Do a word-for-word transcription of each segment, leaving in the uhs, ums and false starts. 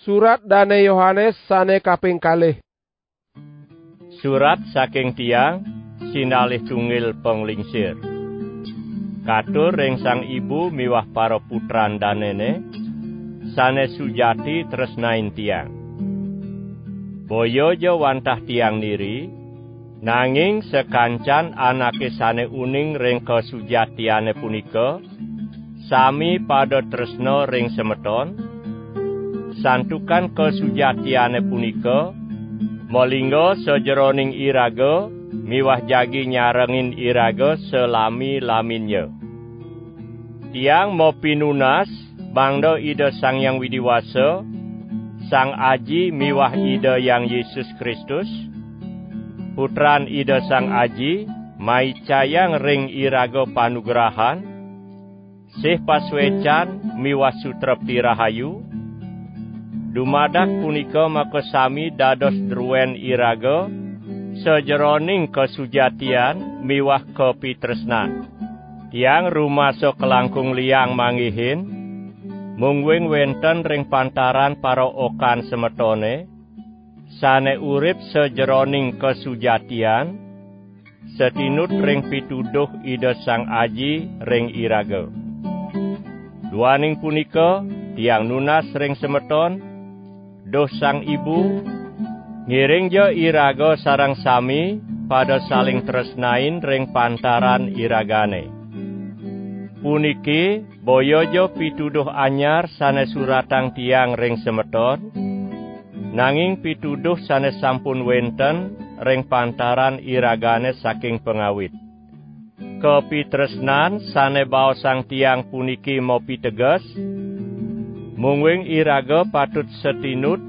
Surat Dane Yohanes sane kaping kalih. Surat saking tiang, sinalih tunggil panglingsir. Katur ring Sang Ibu miwah para putran danene, sane sujati tresnain tiang. Boya ja wantah tiang niri, nanging sakancan anake sane uning ring kasujatiane punika, sami pada tresna ring semeton, santukan kasujatiane punika malingga sajeroning iraga miwah jagi nyarengin iraga salami-laminnya. Tiang mapinunas, mangda Ida Sang Hyang Widi Wasa, Sang Aji miwah Ida Hyang Yesus Kristus, Putran Ida Sang Aji, maicayang ring iraga panugrahan, sih pasuecan miwah sutrepti rahayu, dumadak punika makasami dados druen iraga sajeroning kasujatian miwah kapitresnan. Tiang rumasa kalangkung liang manggihin, mungguing wenten ring pantaran paraokan semetone, sane urip sajeroning kasujatian, satinut ring pituduh Ida Sang Aji ring iraga. Duaning punika, tiang nunas ring semeton, duh Sang Ibu, ngiringja iraga sareng sami pada saling tresnain ring pantaran iragane. Puniki boya ja pituduh anyar sane suratang tiang ring semeton, nanging pituduh sane sampun wenten ring pantaran iragane saking pangawit. Kapitresnan sane baosang tiang puniki mapiteges, mungguing iraga patut satinut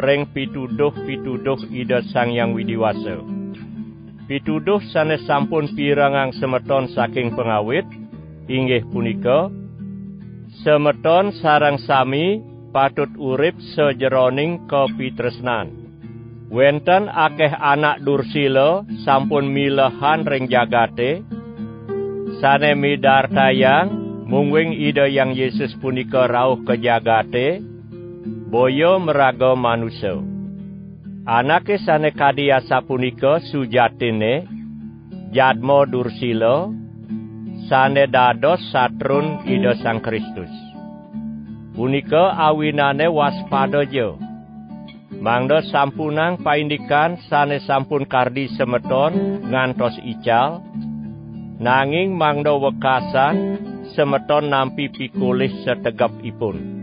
ring pituduh-pituduh Ida Sang Hyang Widi Wasa. Pituduh sane sampun pirengang semeton saking pangawit, inggih punika, semeton sareng sami patut urip sajeroning kapitresnan. Wenten akeh anak dursila sampun milehan ring jagate, sane midartayang mungguing Ida Hyang Yesus punika rauh ka jagate, boya maraga manusa. Anake sane kadi asapunika sujatinne jadma dursila, sane dados satrun Ida Sang Kristus. Punika awinane waspadaja, mangda sampunang paindikan sane sampun kardi semeton ngantos ical, nanging mangda wekasan semeton nampi pikolih sategepipun.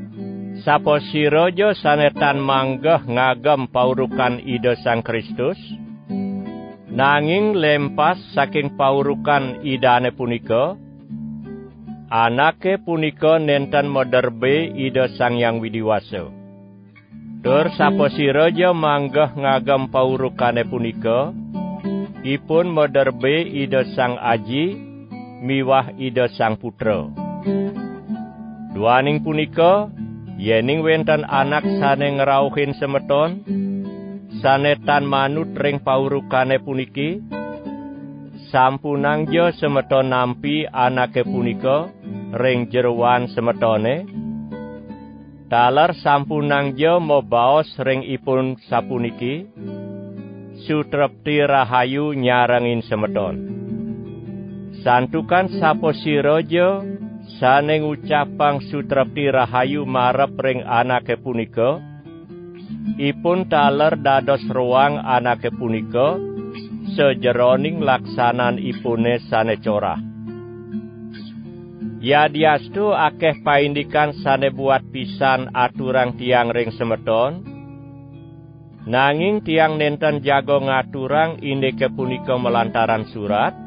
Sapasiraja sane tan manggeh ngagem paurukan Ida Sang Kristus, nanging lempas saking paurukan Idane punika, anake punika nenten maderbe Ida Sang Hyang Widi Wasa. Tur sapasiraja manggeh ngagem paurukane punika, ipun maderbe Ida Sang Aji miwah Ida Sang Putra. Duaning punika, yening wenten anak sane ngrauhin semeton, sane tan manut ring paurukane puniki, sampunangja semeton nampi anake punika ring jeroan semetone, taler sampunangja mabaos ring ipun sapuniki, "Sutrepti rahayu nyarengin semeton." Santukan sapasiraja sane ngucapang sutrepti rahayu marep ring anake punika, ipun taler dados roang anake punika sajeroning laksananipune sane corah. Yadiastu akeh paindikan sane buat pisan aturang tiang ring semeton, nanging tiang nenten jaga ngaturang indike punika malantaran surat.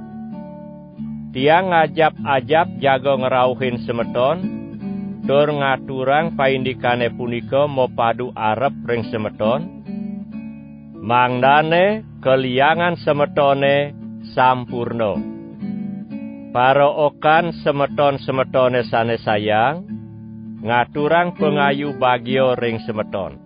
Tiang ngajap-ajap jaga ngrauhin semeton, tur ngaturang paindikane punika mapadu arep ring semeton, mangdane kaliangan semetone sampurna. Paraokan semeton-semetone sane sayang, ngaturang pangayu bagia ring semeton.